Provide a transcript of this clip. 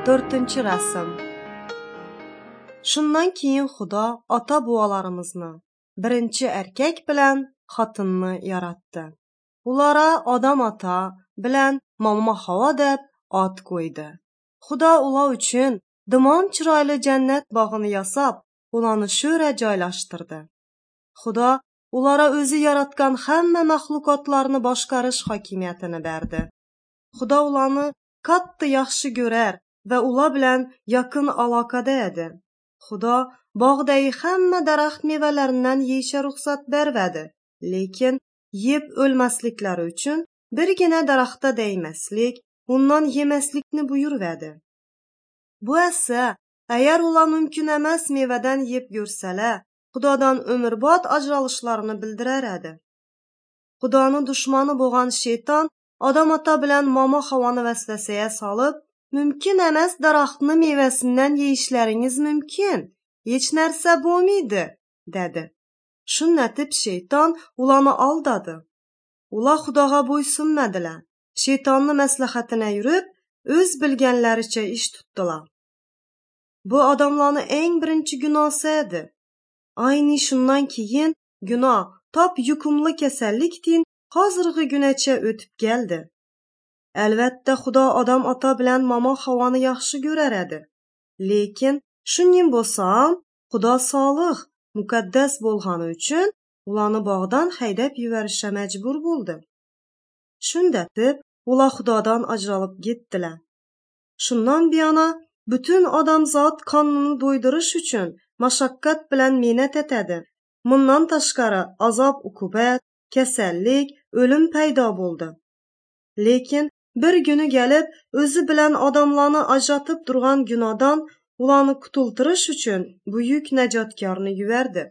4-rasm. Shundan keyin Xudo ota-bobolarimizni, birinchi erkak bilan xotinni yaratdi. Ulara Odam ota bilan Momo Havo deb ot qo'ydi. Xudo ular uchun dimon chiroyli jannat bog'ini yasab, ularni shura joylashtirdi. Xudo ulara o'zi yaratgan hamma maxluqotlarni boshqarish hokimiyatini berdi. Xudo ularni katta yaxshi ko'rar va ular bilan yaqin aloqada edi. Xudo bog'dagi hamma daraxt mevalaridan yeyishga ruxsat bermadi, lekin yeb o'lmasliklari uchun birgina daraxtga degmaslik, undan yemaslikni buyurvadi. Bu esa, agar ular mumkin emas mevadan yeb ko'rsalar, Xudodan umrbod ajralishlarini bildirar edi. Xudoni dushmani bo'lgan shayton Odam ota bilan Momo Havoni vasvasaga solib, mumkin emas daraxtni mevasidan yeyishlaringiz mumkin, hech narsa bo'lmaydi, dedi. Shundatib shayton ularni aldadi. Ular Xudoga bo'ysunmadilar. Shaytonni maslahatini yurib, o'z bilganlaricha ish tutdilar. Bu odamlarning eng birinchi gunosi edi. Ayni shundan keyin gunoh top yuqumli kasallikdan hozirgi gunacha o'tib keldi. Albatta Xudo Odam ota bilan Momo Havoni yaxshi ko'rar edi. Lekin shuning bo'lsa ham Xudo solih, muqaddas bo'lgani uchun ularni bog'dan haydab yuborishga majbur bo'ldi. Shundatib ular Xudodan ajralib ketdilar. Shundan buyona butun odamzod qonini do'ydirish uchun mashaqqat bilan mehnat etadi. Bundan tashqari azob-uqubat, kasallik, o'lim paydo bo'ldi. Lekin bir kuni kelib o'zi bilan odamlarni ajratib turgan gunohdan ularni qutultirish uchun buyuk najotkorni yubordi.